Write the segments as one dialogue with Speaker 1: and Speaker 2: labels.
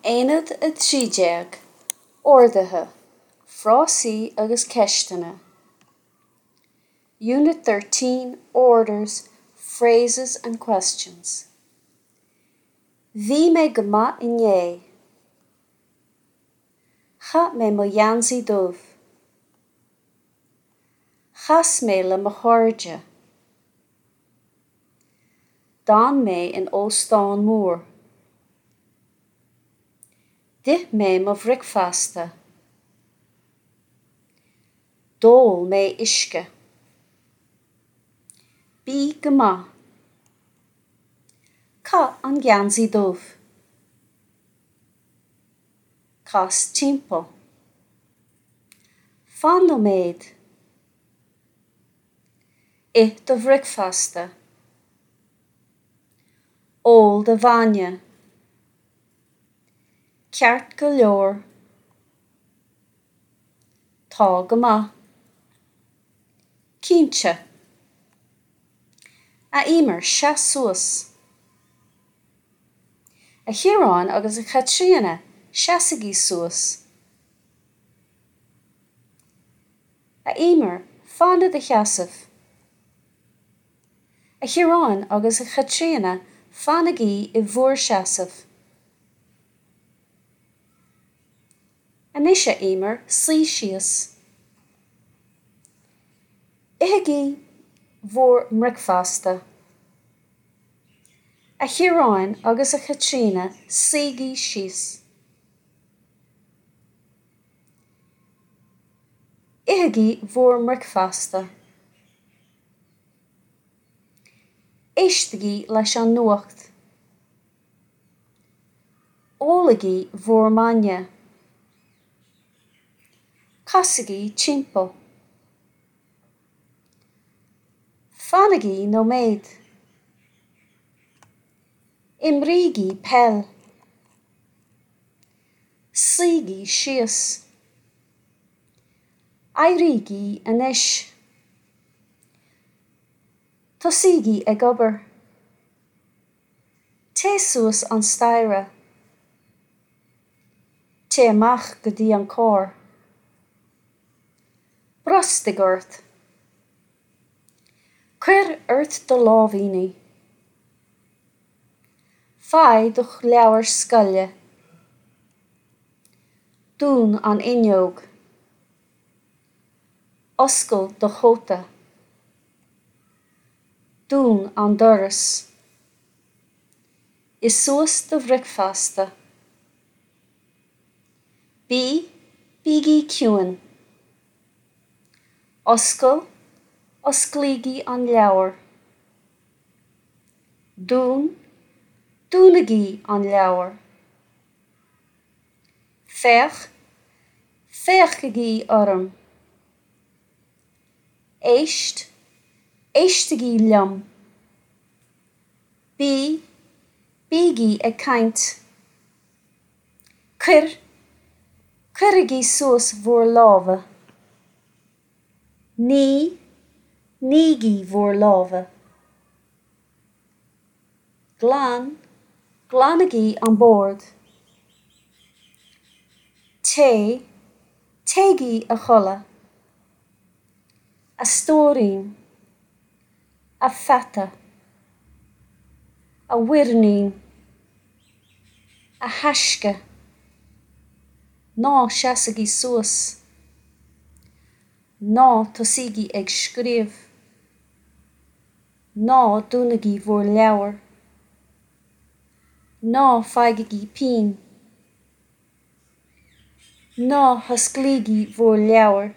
Speaker 1: Aonad 13, Orduithe, Frásaí agus Ceisteanna Unit 13, Orders, Phrases and Questions Bhí mé go maith inné. Chaith mé mo gheansaí dubh. Chas mé le mo chairde. D'fhan mé in óstán mór. D'ith mé mo bhricfeasta. D'ól mé uisce. Bí go maith. Caith an geansaí dubh. Cas timpeall. Fan nóiméad. Ith do bhricfeasta. Ól do bhainne. Ceart go leor. Tá go maith. Cinnte. A Emer, seas suas. A Chiaráin agus a Chaitríona, seasaigí suas. A Emer, fan i do sheasamh. A Chiaráin agus a Chaitríona, fanaigí i bhur seasamh. Anois, a Emer, suigh síos. Ithigí bhur mbricfeasta. A Chiaráin agus a Chaitríona, suígí síos. Ithigí bhur mbricfeasta. Éistigí leis an nuacht. Ólaigí bhur mbainne. Casaigí timpeall. Fanaigí nóiméad. Imrígí peil. Suígí síos. Éirígí anois. Tosaígí ag obair. Téigh suas an staighre. Téigh amach go dtí an carr. Brostaigh ort. Cuir ort do láimhíní. Faigh do leabhar scoile. Dún an fhuinneog. Oscail do chóta. Dún an doras. Ith suas do bhricfeasta. Bí, bígí ciúin. Oscail, osclaígí an leabhar. Dún, dúnaigí an leabhar. Féach, féachaigí orm. Éist, éistigí liom. Bí, bígí ag caint. Cuir, cuirigí suas bhur lámha. Nigh, nígí bhur lámha. Glan, glanaigí an bord. Téigh, téigí a chodladh. A stóirín. A pheata. A mhuirnín. A thaisce. Ná seasaigí suas. Ná tosaígí ag scríobh. Ná dúnaigí bhur leabhair. Ná faighigí pinn. Ná hosclaígí bhur leabhair.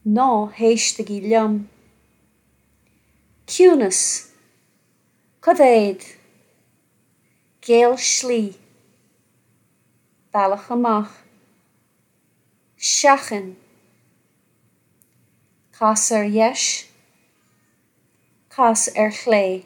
Speaker 1: Ná héistigí liom. Ciúnas. Coimhéad. Géill slí. Bealach amach. Seachain. Cas ar dheis. Cas ar chlé.